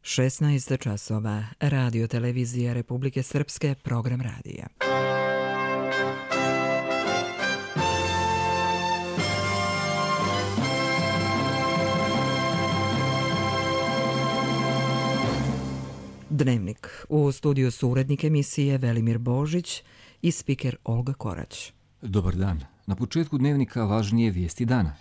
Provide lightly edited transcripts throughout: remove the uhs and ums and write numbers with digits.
16 časova. Radio televizija Republike Srpske, program radija. Dnevnik. U studiju su urednik emisije Velimir Božić i spiker Olga Korać. Dobar dan. Na početku dnevnika važnije vijesti dana.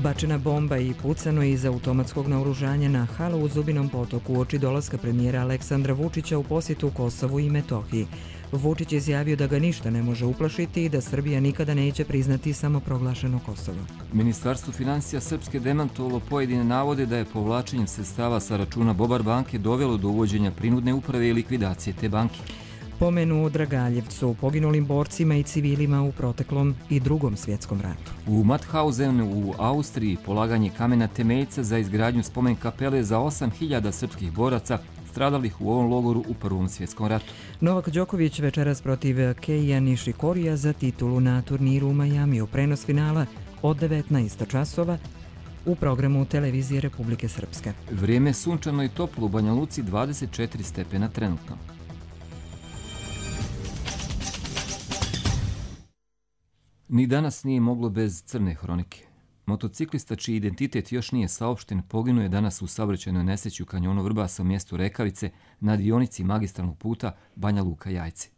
Bačena bomba i pucano iz automatskog naoružanja na halu u Zubinom Potoku uoči dolaska premijera Aleksandra Vučića u posjetu Kosovu i Metohiji. Vučić izjavio da ga ništa ne može uplašiti i da Srbija nikada neće priznati samoproglašeno Kosovo. Ministarstvo financija Srpske demantovalo pojedine navode da je povlačenjem sredstava sa računa Bobar banke dovelo do uvođenja prinudne uprave i likvidacije te banke. Pomenu u Dragaljevcu, poginulim borcima i civilima u proteklom i Drugom svjetskom ratu. U Mauthausenu u Austriji polaganje kamena temeljca za izgradnju spomen kapele za 8.000 srpskih boraca stradalih u ovom logoru u Prvom svjetskom ratu. Novak Đoković večeras protiv Keija Nishikorija za titulu na turniru u Majamiju. Prenos finala od 19 časova u programu televizije Republike Srpske. Vrijeme sunčano i toplo u Banja Luci, 24 stepena trenutno. Ni danas nije moglo bez crne hronike. Motociklista čiji identitet još nije saopšten poginuo je danas u saobraćajnoj nesreći u kanjonu Vrbasa u mjestu Rekavice na dionici magistralnog puta Banja Luka-Jajce.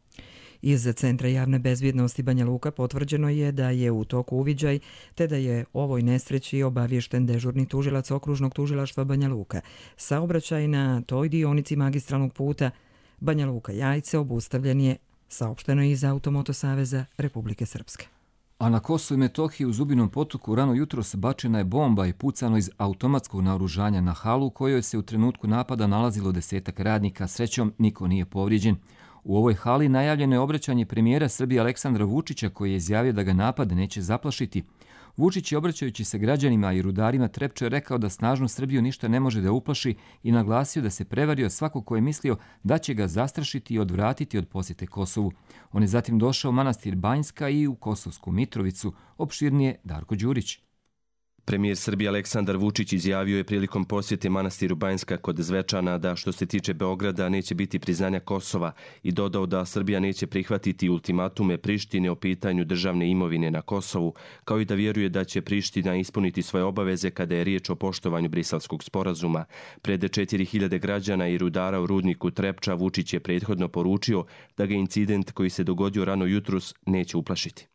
Iz Centra javne bezbjednosti Banja Luka potvrđeno je da je u toku uviđaj, te da je ovoj nesreći obaviješten dežurni tužilac okružnog tužilaštva Banja Luka. Saobraćaj na toj dionici magistralnog puta Banja Luka-Jajce obustavljen je, saopšteno iz Automoto saveza Republike Srpske. A na Kosovu i Metohiji u Zubinom Potoku rano jutros bačena je bomba i pucano iz automatskog naoružanja na halu u kojoj se u trenutku napada nalazilo 10 radnika. Srećom, niko nije povrijeđen. U ovoj hali najavljeno je obraćanje premijera Srbije Aleksandra Vučića koji je izjavio da ga napad neće zaplašiti. Vučić je obraćajući se građanima i rudarima Trepče rekao da snažnu Srbiju ništa ne može da uplaši i naglasio da se prevario svako ko je mislio da će ga zastrašiti i odvratiti od posjete Kosovu. On je zatim došao u manastir Banjska i u Kosovsku Mitrovicu, opširnije Darko Đurić. Premijer Srbije Aleksandar Vučić izjavio je prilikom posjete manastiru Banjska kod Zvečana da što se tiče Beograda neće biti priznanja Kosova i dodao da Srbija neće prihvatiti ultimatume Prištine o pitanju državne imovine na Kosovu, kao i da vjeruje da će Priština ispuniti svoje obaveze kada je riječ o poštovanju Briselskog sporazuma. Pred 4.000 građana i rudara u rudniku Trepča Vučić je prethodno poručio da ga incident koji se dogodio rano jutros neće uplašiti.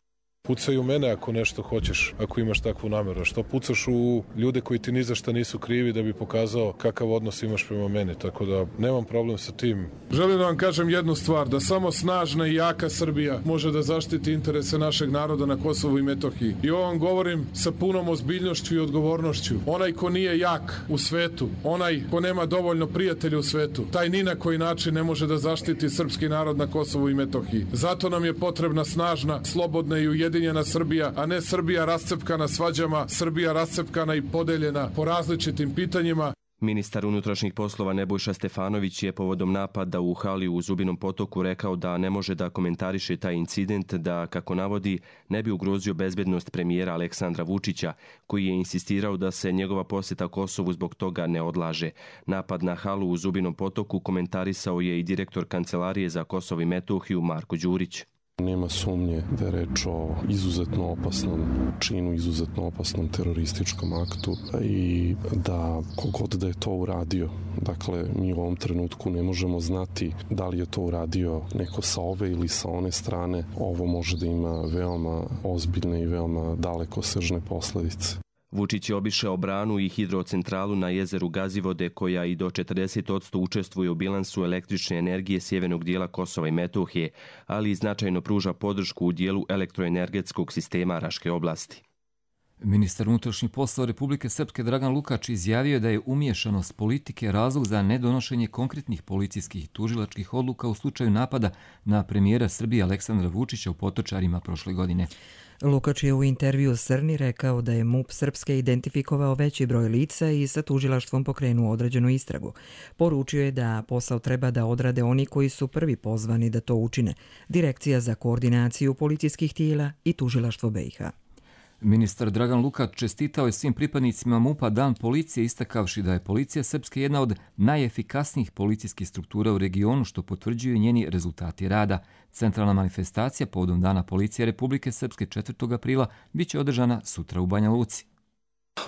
Pucaj u mene ako nešto hoćeš, ako imaš takvu namjeru. Što pucaš u ljude koji ti ni za šta nisu krivi da bi pokazao kakav odnos imaš prema meni, tako da nemam problem sa tim. Želim da vam kažem jednu stvar, da samo snažna i jaka Srbija može da zaštiti interese našeg naroda na Kosovu i Metohiji. I ovo vam govorim sa punom ozbiljnošću i odgovornošću. Onaj ko nije jak u svetu, onaj ko nema dovoljno prijatelja u svetu, taj ni na koji način ne može da zaštiti srpski narod na Kosovu i Metohiji. Zato nam je potrebna snažna, slobodna i ujedinjena Srbija, a ne Srbija rascepkana svađama, Srbija rascepkana i podeljena po različitim pitanjima. Ministar unutrašnjih poslova Nebojša Stefanović je povodom napada u hali u Zubinom Potoku rekao da ne može da komentariše taj incident, da, kako navodi, ne bi ugrozio bezbednost premijera Aleksandra Vučića, koji je insistirao da se njegova posjeta Kosovu zbog toga ne odlaže. Napad na halu u Zubinom Potoku komentarisao je i direktor Kancelarije za Kosovo i Metohiju Marko Đurić. Nema sumnje da je reč o izuzetno opasnom činu, izuzetno opasnom terorističkom aktu i da kogod da je to uradio, dakle mi u ovom trenutku ne možemo znati da li je to uradio neko sa ove ili sa one strane, ovo može da ima veoma ozbiljne i veoma dalekosežne posljedice. Vučić je obišao branu i hidrocentralu na jezeru Gazivode koja i do 40% učestvuje u bilansu električne energije sjevernog dijela Kosova i Metohije, ali i značajno pruža podršku u dijelu elektroenergetskog sistema Raške oblasti. Ministar unutrašnjih poslova Republike Srpske Dragan Lukač izjavio je da je umiješanost politike razlog za nedonošenje konkretnih policijskih i tužilačkih odluka u slučaju napada na premijera Srbije Aleksandra Vučića u Potočarima prošle godine. Lukač je u intervju Srni rekao da je MUP Srpske identifikovao veći broj lica i sa tužilaštvom pokrenuo određenu istragu. Poručio je da posao treba da odrade oni koji su prvi pozvani da to učine, Direkcija za koordinaciju policijskih tijela i tužilaštvo BiH. Ministar Dragan Lukač čestitao je svim pripadnicima MUP-a Dan policije, istakavši da je policija Srpske jedna od najefikasnijih policijskih struktura u regionu, što potvrđuju njeni rezultati rada. Centralna manifestacija povodom Dana policije Republike Srpske 4. aprila biće održana sutra u Banja Luci.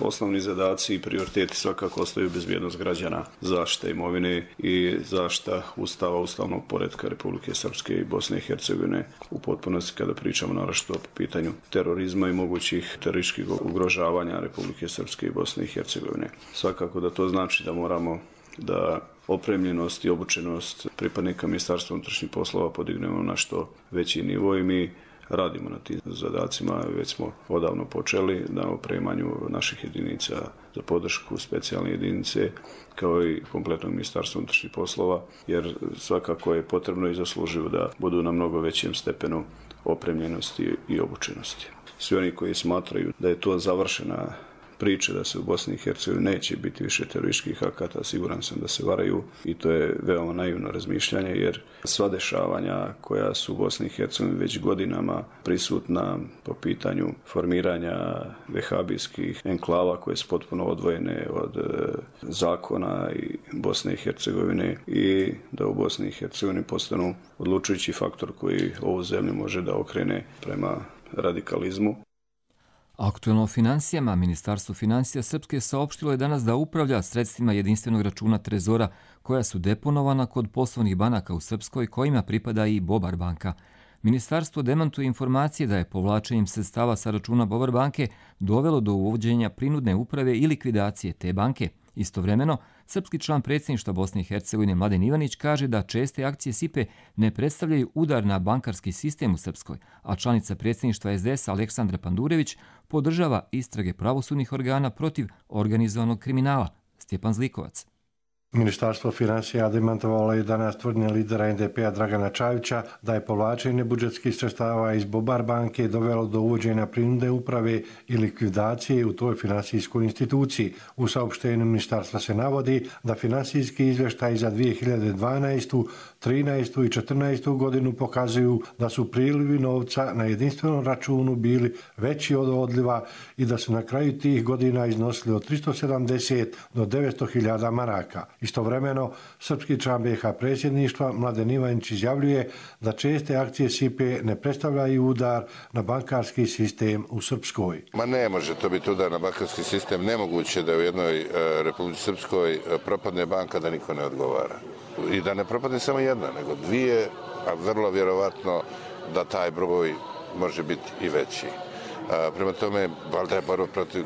Osnovni zadaci i prioriteti svakako ostaju bezbjednost građana, zaštita imovine i zaštita Ustava, ustavnog poretka Republike Srpske i Bosne i Hercegovine u potpunosti kada pričamo naročito po pitanju terorizma i mogućih terorističkih ugrožavanja Republike Srpske i Bosne i Hercegovine. Svakako da to znači da moramo da opremljenost i obučenost pripadnika Ministarstva unutrašnjih poslova podignemo na što veći nivo i mi radimo na tim zadacima, već smo odavno počeli na opremanju naših jedinica za podršku, specijalne jedinice, kao i kompletnog Ministarstva unutrašnjih poslova, jer svakako je potrebno i zaslužuju da budu na mnogo većem stepenu opremljenosti i obučenosti. Svi oni koji smatraju da je to završena priče da se u Bosni i Hercegovini neće biti više terorističkih akata, siguran sam da se varaju i to je veoma naivno razmišljanje jer sva dešavanja koja su u Bosni i Hercegovini već godinama prisutna po pitanju formiranja vehabijskih enklava koje su potpuno odvojene od zakona i Bosne i Hercegovine i da u Bosni i Hercegovini postanu odlučujući faktor koji ovu zemlju može da okrene prema radikalizmu. Aktuelno o financijama, Ministarstvo financija Srpske saopštilo je danas da upravlja sredstvima jedinstvenog računa Trezora koja su deponovana kod poslovnih banaka u Srpskoj kojima pripada i Bobar banka. Ministarstvo demantuje informacije da je povlačenjem sredstava sa računa Bobar banke dovelo do uvođenja prinudne uprave i likvidacije te banke. Istovremeno, srpski član predsjedništva Bosne i Hercegovine Mladen Ivanić kaže da česte akcije SIPE ne predstavljaju udar na bankarski sistem u Srpskoj, a članica predsjedništva SDS Aleksandra Pandurević podržava istrage pravosudnih organa protiv organizovanog kriminala. Stjepan Zlikovac. Ministarstvo financija demantovalo je danas tvrdnje lidera NDP-a Dragana Čavića da je povlačenje budžetskih sredstava iz Bobar banke dovelo do uvođenja prinudne uprave i likvidacije u toj finansijskoj instituciji. U saopštenju ministarstva se navodi da finansijski izvještaj za 2012., 13. i 14. godinu pokazuju da su prilivi novca na jedinstvenom računu bili veći od odliva i da su na kraju tih godina iznosili od 370 do 900.000 maraka. Istovremeno, srpski član BiH predsjedništva Mladen Ivanić izjavljuje da česte akcije SIPE ne predstavljaju udar na bankarski sistem u Srpskoj. Ne može to biti udar na bankarski sistem. Nemoguće da u jednoj Republici Srpskoj propadne banka da niko ne odgovara. I da ne propadne samo jedna, nego dvije, a vrlo vjerovatno da taj broj može biti i veći. Prema tome, valjda je borba protiv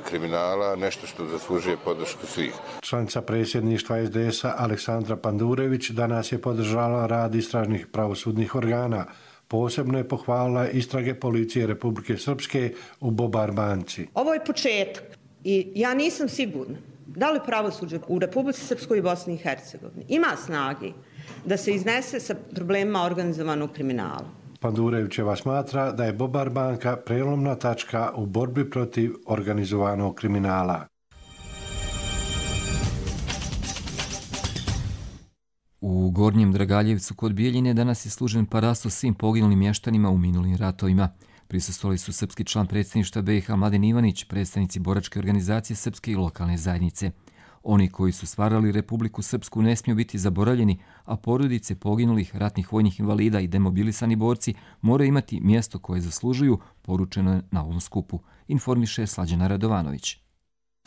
kriminala nešto što zaslužuje podršku svih. Članica predsjedništva SDS-a Aleksandra Pandurević danas je podržala rad istražnih pravosudnih organa. Posebno je pohvalila istrage policije Republike Srpske u Bobar banci. Ovo je početak i ja nisam sigurna da li pravosuđe u Republici Srpskoj i Bosni i Hercegovini ima snage da se iznese sa problemima organizovanog kriminala. Pandurevićeva smatra da je Bobar banka prelomna tačka u borbi protiv organizovanog kriminala. U Gornjem Dragaljevcu kod Bijeljine danas je služen parasto svim poginulim mještanima u minulim ratovima. Prisustvovali su srpski član predsjedništva BiH Mladen Ivanić, predstavnici boračke organizacije srpske i lokalne zajednice. Oni koji su stvarali Republiku Srpsku ne smiju biti zaboravljeni, a porodice poginulih ratnih vojnih invalida i demobilisani borci moraju imati mjesto koje zaslužuju, poručeno je na ovom skupu, informiše Slađana Radovanović.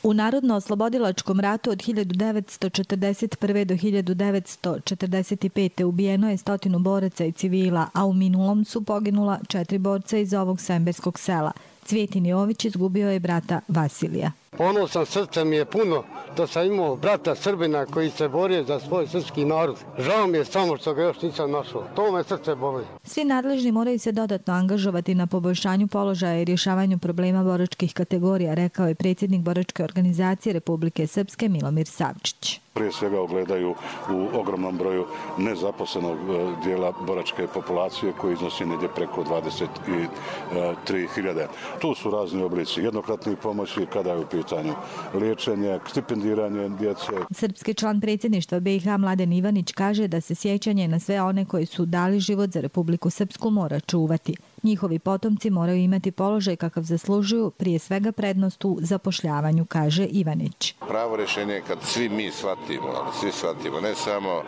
U Narodno-oslobodilačkom ratu od 1941. do 1945. ubijeno je 100 boraca i civila, a u minulom su poginula 4 borca iz ovog semberskog sela. Cvjetin Jović izgubio je brata Vasilija. Ponosan, srce mi je puno da sam imao brata Srbina koji se borio za svoj srpski narod. Žao mi je samo što ga još nisam našao. To me srce boli. Svi nadležni moraju se dodatno angažovati na poboljšanju položaja i rješavanju problema boračkih kategorija, rekao je predsjednik Boračke organizacije Republike Srpske Milomir Savčić. Prije svega ogledaju u ogromnom broju nezaposlenog dijela boračke populacije koji iznosi negdje preko 23.000. Tu su razni oblici jednokratnih pomoći kada je u pitanju liječenje, stipendiranje djece. Srpski član predsjedništva BiH Mladen Ivanić kaže da se sjećanje na sve one koji su dali život za Republiku Srpsku mora čuvati. Njihovi potomci moraju imati položaj kakav zaslužuju, prije svega prednost u zapošljavanju, kaže Ivanić. Pravo rješenje je kad svi mi shvatimo, ne samo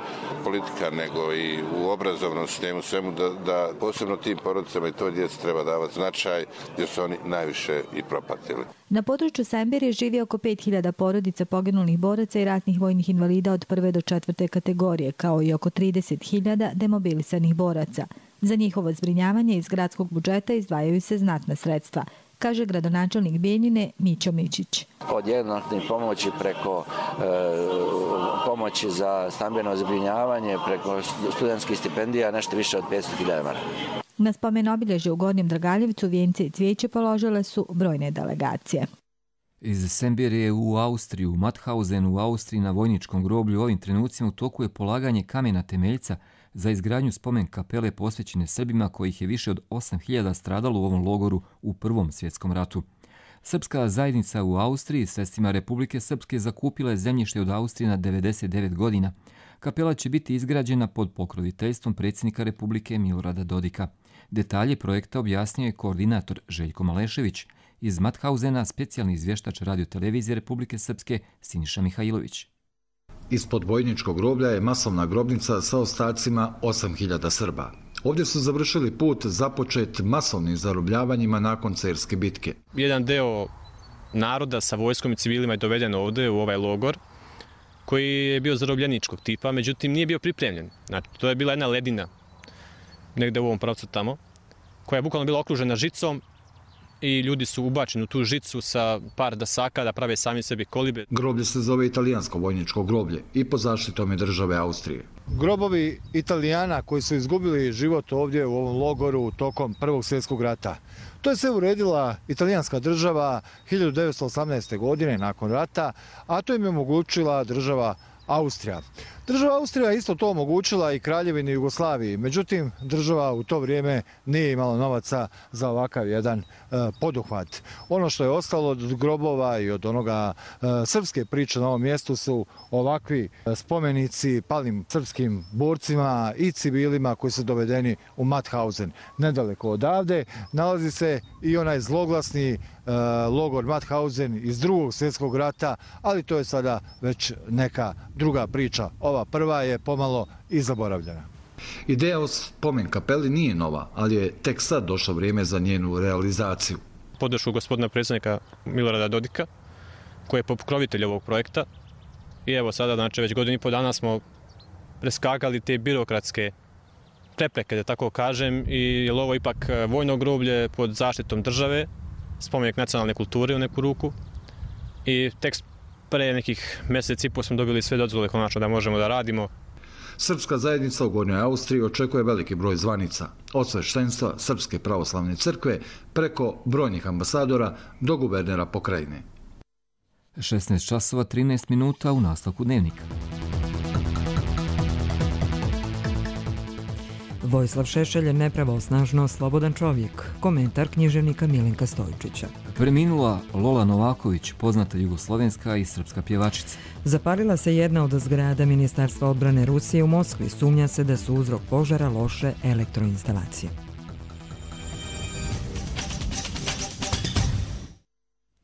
politika, nego i u obrazovnom sistemu, svemu da posebno tim porodicama i toj djeci treba davati značaj, jer su oni najviše i propatili. Na području Sembirije živi oko 5.000 porodica poginulih boraca i ratnih vojnih invalida od 1. do 4. kategorije, kao i oko 30.000 demobilisanih boraca. Za njihovo zbrinjavanje iz gradskog budžeta izdvajaju se znatna sredstva, kaže gradonačelnik Bijeljine Mićo Mičić. Od jednokratnih pomoći preko pomoći za stambeno zbrinjavanje, preko studentskih stipendija, nešto više od 500.000 €. Na spomen obilježje u Gornjem Dragaljevcu vijence i cvijeće položile su brojne delegacije. Iz Sembirije u Austriju, u Mauthausenu u Austriji na vojničkom groblju ovim trenucima u toku je polaganje kamena temeljca za izgradnju spomen kapele posvećene Srbima kojih je više od 8.000 stradalo u ovom logoru u Prvom svjetskom ratu. Srpska zajednica u Austriji sredstvima Republike Srpske zakupila je zemljište od Austrije na 99 godina. Kapela će biti izgrađena pod pokroviteljstvom predsjednika Republike Milorada Dodika. Detalje projekta objasnio je koordinator Željko Malešević. Iz Mauthausena specijalni izvještač radiotelevizije Republike Srpske Siniša Mihajlović. Ispod vojničkog groblja je masovna grobnica sa ostacima 8.000 Srba. Ovdje su završili put započet masovnim zarobljavanjima nakon Cerske bitke. Jedan deo naroda sa vojskom i civilima je doveden ovdje u ovaj logor koji je bio zarobljeničkog tipa, međutim nije bio pripremljen. Znači, to je bila jedna ledina negdje u ovom pravcu tamo, koja je bukvalno bila okružena žicom i ljudi su ubačeni u tu žicu sa par dasaka da prave sami sebi kolibe. Groblje se zove italijansko vojničko groblje i pod zaštitom je države Austrije. Grobovi Italijana koji su izgubili život ovdje u ovom logoru tokom Prvog svjetskog rata. To je sve uredila italijanska država 1918. godine nakon rata, a to im je omogućila država Austrija. Država Austrija isto to omogućila i Kraljevini Jugoslaviji, međutim država u to vrijeme nije imala novaca za ovakav jedan poduhvat. Ono što je ostalo od grobova i od onoga srpske priče na ovom mjestu su ovakvi spomenici palim srpskim borcima i civilima koji su dovedeni u Mauthausen. Nedaleko odavde nalazi se i onaj zloglasni logor Mauthausen iz Drugog svjetskog rata, ali to je sada već neka druga priča. Ova prva je pomalo i zaboravljena. Ideja o spomen kapeli nije nova, ali je tek sad došlo vrijeme za njenu realizaciju. Podršku gospodina predsjednika Milorada Dodika, koji je pokrovitelj ovog projekta. I evo sada, znači već godinu i pol dana smo preskakali te birokratske prepreke, da tako kažem, i je ovo ipak vojno groblje pod zaštitom države, spomenik nacionalne kulture u neku ruku. I tek pre nekih mjeseci i pol smo dobili sve dozvole konačno da možemo da radimo. Srpska zajednica u Gornjoj Austriji očekuje veliki broj zvanica, od sveštenstva Srpske pravoslavne crkve preko brojnih ambasadora do guvernera pokrajine. 16 časova 13 minuta u nastavku dnevnika. Vojislav Šešelj je nepravosnažno slobodan čovjek. Komentar književnika Milenka Stojčića. Preminula Lola Novaković, poznata jugoslovenska i srpska pjevačica. Zapalila se jedna od zgrada Ministarstva odbrane Rusije u Moskvi. Sumnja se da su uzrok požara loše elektroinstalacije.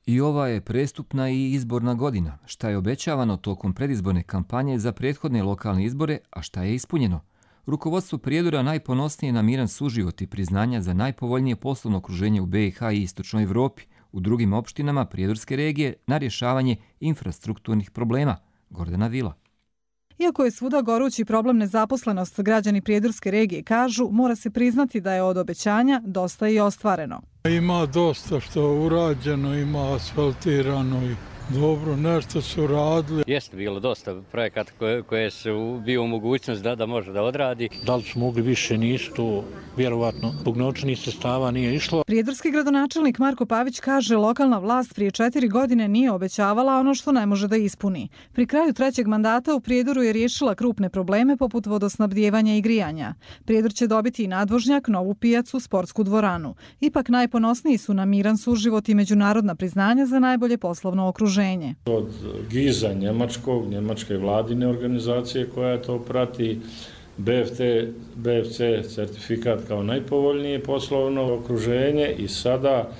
I ova je prestupna i izborna godina. Šta je obećavano tokom predizborne kampanje za prethodne lokalne izbore, a šta je ispunjeno? Rukovodstvo Prijedora najponosnije na miran suživot i priznanja za najpovoljnije poslovno okruženje u BiH i Istočnoj Evropi, u drugim opštinama Prijedorske regije na rješavanje infrastrukturnih problema. Gordana Vila. Iako je svuda gorući problem nezaposlenost, građani prijedorske regije kažu mora se priznati da je od obećanja dosta i ostvareno. Ima dosta što je urađeno, ima asfaltirano i dobro, nešto su radili. Jeste bilo dosta projekata koje su bio u mogućnost da može da odradi. Da li su mogli više, nisu to, vjerovatno, zbog novčanih sredstava nije išlo. Prijedorski gradonačelnik Marko Pavić kaže lokalna vlast prije 4 godine nije obećavala ono što ne može da ispuni. Pri kraju 3. mandata u Prijedoru je riješila krupne probleme poput vodosnabdijevanja i grijanja. Prijedor će dobiti i nadvožnjak, novu pijacu, sportsku dvoranu. Ipak najponosniji su na miran suživot i međunarodna priznanja za najbolje poslovno okruženje. Od GIZ-a njemačke vladine organizacije koja to prati, BFC certifikat kao najpovoljnije poslovno okruženje i sada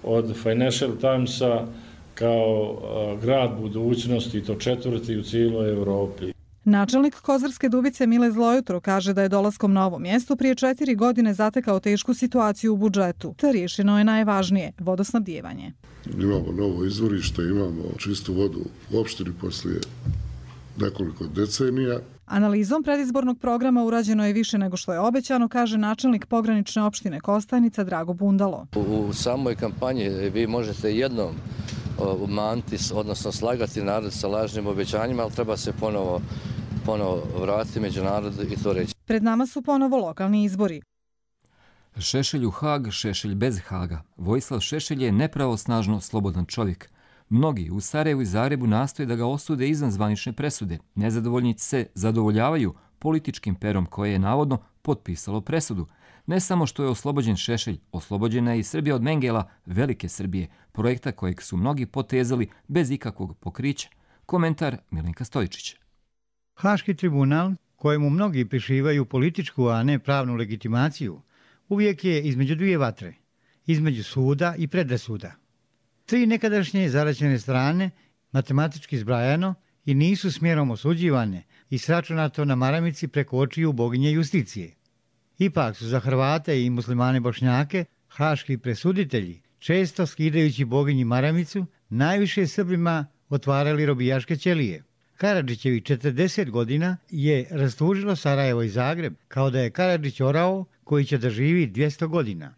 od Financial Timesa kao grad budućnosti, to 4. u cijeloj Evropi. Načelnik Kozarske Dubice Mile Zlojutro kaže da je dolaskom na ovo mjesto prije 4 godine zatekao tešku situaciju u budžetu. Te riješeno je najvažnije, vodosnabdijevanje. Imamo novo izvorište, imamo čistu vodu u opštini poslije nekoliko decenija. Analizom predizbornog programa urađeno je više nego što je obećano, kaže načelnik pogranične opštine Kostajnica Drago Bundalo. U samoj kampanji vi možete jednom umanti, odnosno slagati narod sa lažnim obećanjima, ali treba se ponovo vratiti među narod i to reći. Pred nama su ponovo lokalni izbori. Šešelj u Hag, Šešelj bez Haga. Vojislav Šešelj je nepravosnažno slobodan čovjek. Mnogi u Sarajevu i Zagrebu nastoje da ga osude izvan zvanične presude. Nezadovoljnici se zadovoljavaju političkim perom koje je navodno potpisalo presudu. Ne samo što je oslobođen Šešelj, oslobođena je i Srbija od Mengela, Velike Srbije, projekta kojeg su mnogi potezali bez ikakvog pokrića. Komentar Milenka Stojičića. Haški tribunal, kojemu mnogi prišivaju političku, a ne pravnu legitimaciju, uvijek je između dvije vatre, između suda i predrasuda. 3 nekadašnje zaraćene strane, matematički zbrajano, i nisu smjerom osuđivane i sračunato na maramici preko očiju boginje justicije. Ipak su za Hrvate i muslimane Bošnjake haški presuditelji, često skidajući boginji maramicu, najviše Srbima otvarali robijaške ćelije. Karadžićevi 40 godina je rastužilo Sarajevo i Zagreb, kao da je Karadžić orao koji će da živi 200 godina.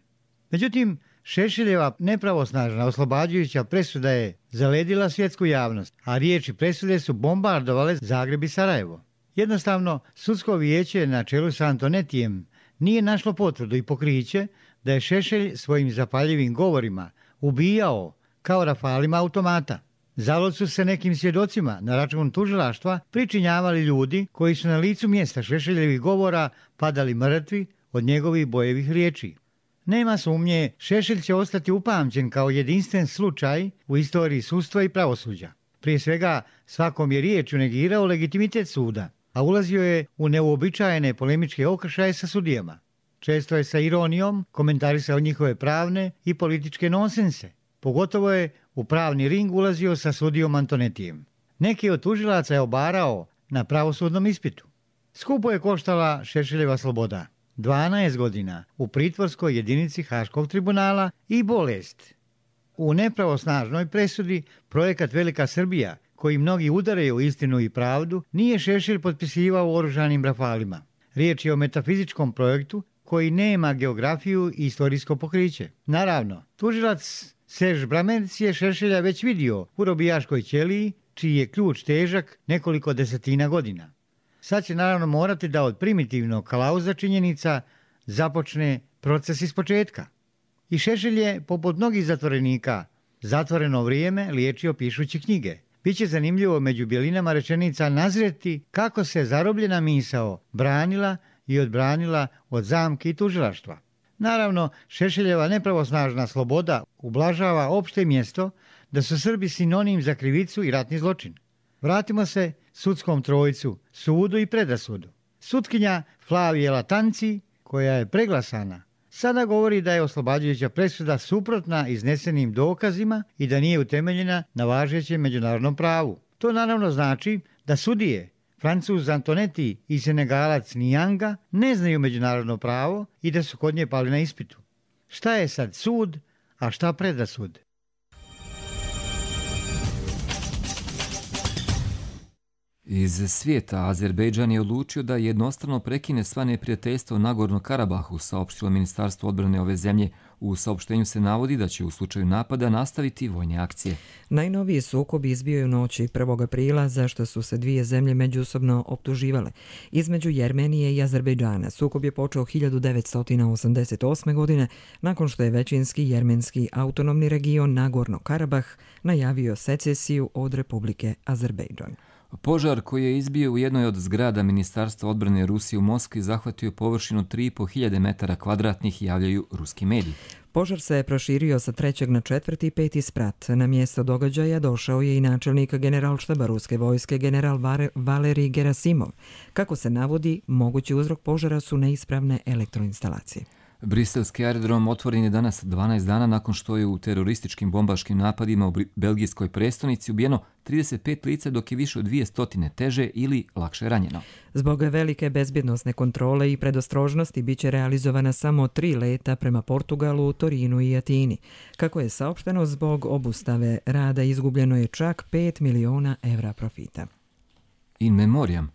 Međutim, Šešeljeva nepravosnažna oslobađajuća presuda je zaledila svjetsku javnost, a riječi presude su bombardovale Zagreb i Sarajevo. Jednostavno, sudsko vijeće na čelu sa Antonetijem nije našlo potvrdu i pokriće da je Šešelj svojim zapaljivim govorima ubijao kao rafalima automata. Zalud su se nekim svjedocima na račun tužilaštva pričinjavali ljudi koji su na licu mjesta Šešeljevih govora padali mrtvi od njegovih bojevih riječi. Nema sumnje, Šešelj će ostati upamćen kao jedinstven slučaj u istoriji sudstva i pravosuđa. Prije svega, svakom je riječju negirao legitimitet suda, a ulazio je u neuobičajene polemičke okršaje sa sudijama. Često je sa ironijom komentarisao njihove pravne i političke nonsense. Pogotovo je u pravni ring ulazio sa sudijom Antonetijem. Neki od tužilaca je obarao na pravosudnom ispitu. Skupo je koštala Šešeljeva sloboda. 12 godina u pritvorskoj jedinici Haškog tribunala i bolest. U nepravosnažnoj presudi projekat Velika Srbija, koji mnogi udaraju istinu i pravdu, nije Šešelj potpisivao oružanim rafalima. Riječ je o metafizičkom projektu koji nema geografiju i istorijsko pokriće. Naravno, tužilac Serž Bramenc je Šešelja već vidio u robijaškoj ćeliji, čiji je ključ težak nekoliko desetina godina. Sad će naravno morati da od primitivnog kalauza činjenica započne proces ispočetka. I Šešelj je, poput mnogih zatvorenika, zatvoreno vrijeme liječio pišući knjige. Biće zanimljivo među bjelinama rečenica nazreti kako se zarobljena misao branila i odbranila od zamke i tužilaštva. Naravno, Šešeljeva nepravosnažna sloboda ublažava opšte mjesto da su Srbi sinonim za krivicu i ratni zločin. Vratimo se sudskom trojcu, sudu i predrasudu. Sutkinja Flavije Latanci, koja je preglasana, sada govori da je oslobađajuća presuda suprotna iznesenim dokazima i da nije utemeljena na važećem međunarodnom pravu. To naravno znači da sudije, Francuz Antoneti i Senegalac Nijanga, ne znaju međunarodno pravo i da su kod nje pali na ispitu. Šta je sad sud, a šta predrasud? Iz svijeta Azerbejdžan je odlučio da jednostrano prekine sva neprijateljstva u Nagorno Karabahu, saopštilo Ministarstvo odbrane ove zemlje. U saopštenju se navodi da će u slučaju napada nastaviti vojne akcije. Najnoviji sukob izbio je u noći 1. aprila, zašto su se dvije zemlje međusobno optuživale. Između Jermenije i Azerbejdžana sukob je počeo 1988. godine, nakon što je većinski jermenski autonomni region Nagorno Karabah najavio secesiju od Republike Azerbejdžan. Požar koji je izbio u jednoj od zgrada Ministarstva odbrane Rusije u Moskvi zahvatio površinu 3.500 metara kvadratnih, javljaju ruski mediji. Požar se je proširio sa 3. na 4. i 5. sprat. Na mjesto događaja došao je i načelnik generalštaba ruske vojske general Valerij Gerasimov. Kako se navodi, mogući uzrok požara su neispravne elektroinstalacije. Briselski aerodrom otvoren je danas 12 dana nakon što je u terorističkim bombaškim napadima u belgijskoj prestonici ubijeno 35 lica, dok je više od 200 teže ili lakše ranjeno. Zbog velike bezbjednosne kontrole i predostrožnosti biće realizovana samo 3 leta prema Portugalu, Torinu i Atini. Kako je saopšteno, zbog obustave rada izgubljeno je čak 5 miliona evra profita. In memoriam.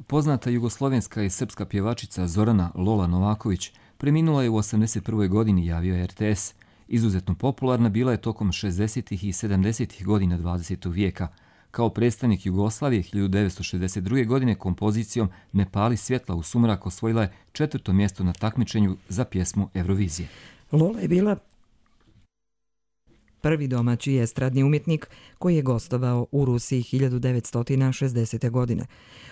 Poznata jugoslovenska i srpska pjevačica Zorana Lola Novaković preminula je u 81. godini, javio RTS. Izuzetno popularna bila je tokom 60. i 70. godina 20. vijeka. Kao predstavnik Jugoslavije 1962. godine kompozicijom Ne pali svjetla u sumrak osvojila je 4. mjesto na takmičenju za pjesmu Eurovizije. Lola je bila prvi domaći estradni umjetnik koji je gostovao u Rusiji 1960. godine.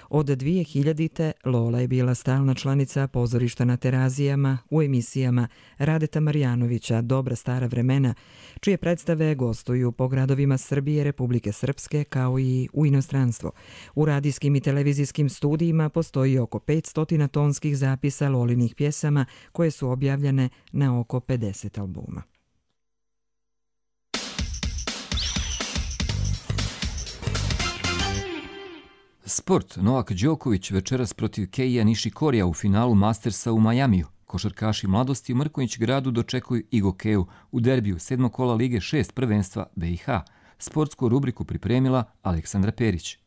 Od 2000. Lola je bila stalna članica pozorišta na Terazijama u emisijama Radeta Marjanovića Dobra stara vremena, čije predstave gostuju po gradovima Srbije, Republike Srpske kao i u inostranstvo. U radijskim i televizijskim studijima postoji oko 500 tonskih zapisa Lolinih pjesama koje su objavljene na oko 50 albuma. Sport. Novak Đoković večeras protiv Keija Nišikorija u finalu Mastersa u Majamiju. Košarkaši mladosti u Mrkonjić gradu dočekuju Igokeu u derbiju 7. kola Lige 6 prvenstva BiH. Sportsku rubriku pripremila Aleksandra Perić.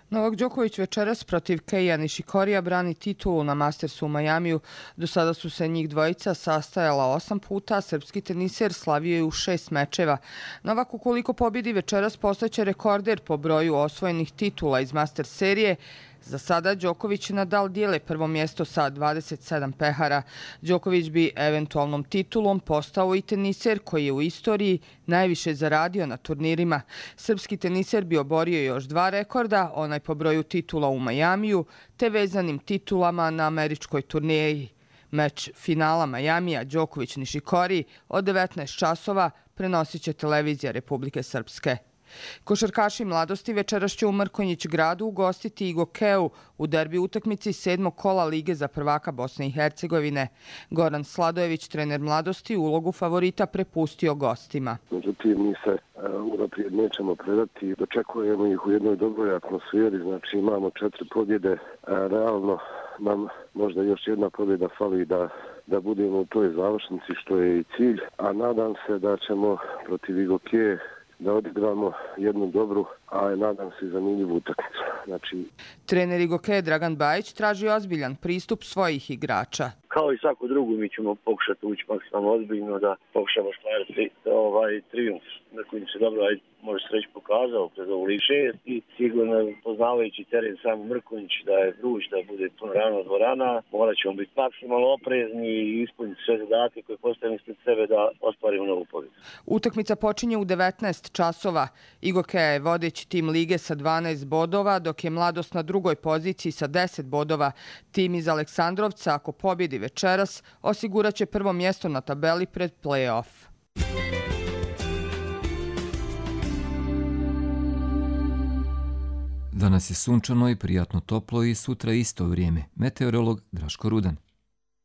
Novak Đoković večeras protiv Keija Nišikorija brani titulu na Mastersu u Majamiju. Do sada su se njih dvojica sastajala 8 puta, a srpski teniser slavio je u 6 mečeva. Novak, ukoliko pobjedi večeras, postaće rekorder po broju osvojenih titula iz Masters serije. Za sada Đoković i Nadal dijele prvo mjesto sa 27 pehara. Đoković bi eventualnom titulom postao i teniser koji je u istoriji najviše zaradio na turnirima. Srpski teniser bi oborio još 2 rekorda, onaj po broju titula u Majamiju, te vezanim titulama na američkoj turneji. Meč finala Majamija Đoković-Nišikori od 19 časova prenosit će televizija Republike Srpske. Košarkaši mladosti večeras će u Mrkonjić gradu ugostiti Igokeu u derbi utakmici 7. kola Lige za prvaka Bosne i Hercegovine. Goran Sladojević, trener mladosti, ulogu favorita prepustio gostima. Međutim, mi se unaprijed nećemo predati. Dočekujemo ih u jednoj dobroj atmosferi, znači imamo 4 pobjede. Realno nam možda još jedna pobjeda fali da budemo u toj završnici, što je i cilj. A nadam se da ćemo protiv Igokeje da odigramo jednu dobru, a nadam se zanimljivu utakmicu. Trener Igokeje Dragan Bajić traži ozbiljan pristup svojih igrača. Kao i svako drugo, mi ćemo pokušati ući maksimalno ozbiljno da pokušamo stvariti trijumf. Mrkonjić se dobro, može se reći, pokazao kroz ovu Ligu 6 i sigurno poznavajući teren samo Mrkonjić da je vruć, da bude puno ravna dvorana. Morat ćemo biti maksimalno oprezni i ispuniti sve zadatke koje postavimo ispred sebe da ostvarimo novu pobjedu. Utakmica počinje u 19 časova. Igokeja je vodeći tim lige sa 12 bodova, dok je Mladost na drugoj poziciji sa 10 bodova. Tim iz Aleksandrovca, ako pobjedi večeras, osigurat će prvo mjesto na tabeli pred play-off. Danas je sunčano i prijatno toplo i sutra isto vrijeme. Meteorolog Draško Rudan.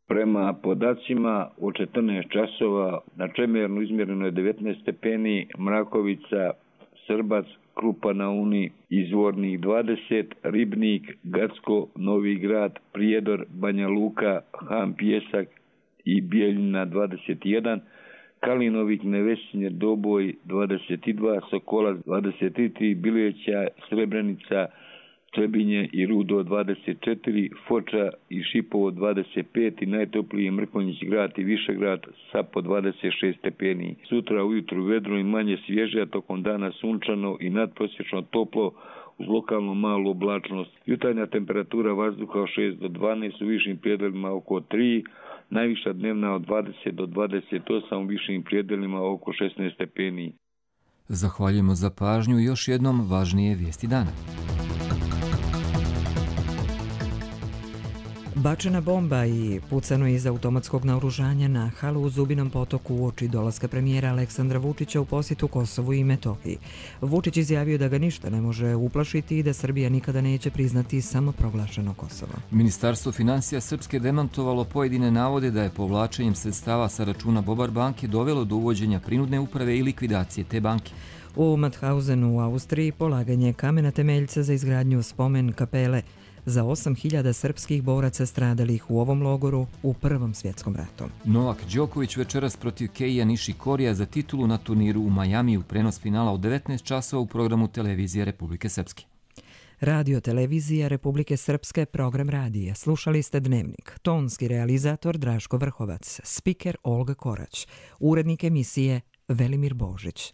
Prema podacima u 14 časova na Čemernu izmjereno je 19 stepeni, Mrakovica, Srbac, Krupa na Uni, Izvornik 20, Ribnik, Gacko, Novi Grad, Prijedor, Banja Luka, Han Pjesak i Bijeljina 21, Kalinovik, Nevesinje, Doboj 22, Sokolac 23, Bileća, Srebrenica Trebinje i Rudo 24, Foča i Šipovo 25 i najtopliji Mrkonjić grad i Višegrad sa po 26 stepeni. Sutra ujutru vedro i manje svježe, a tokom dana sunčano i nadprosječno toplo uz lokalno malu oblačnost. Jutarnja temperatura vazduha od 6 do 12, u višim prijedelima oko 3, najviša dnevna od 20 do 28, u višim prijedelima oko 16 stepeni. Zahvaljujemo za pažnju i još jednom važnije vijesti dana. Bačena bomba i pucano iz automatskog naoružanja na halu u Zubinom potoku uoči dolaska premijera Aleksandra Vučića u posjetu Kosovu i Metohiji. Vučić izjavio da ga ništa ne može uplašiti i da Srbija nikada neće priznati samoproglašeno Kosovo. Ministarstvo financija Srpske demantovalo pojedine navode da je povlačenjem sredstava sa računa Bobar banke dovelo do uvođenja prinudne uprave i likvidacije te banke. U Mauthausenu u Austriji polaganje kamena temeljca za izgradnju spomen kapele za 8.000 srpskih boraca stradalih u ovom logoru u Prvom svjetskom ratu. Novak Đoković večeras protiv Keija Nišikorija za titulu na turniru u Majamiju, prenos finala u 19 časova u programu Televizije Republike Srpske. Radio Televizija Republike Srpske, program radija. Slušali ste Dnevnik. Tonski realizator Draško Vrhovac, spiker Olga Korać, urednik emisije Velimir Božić.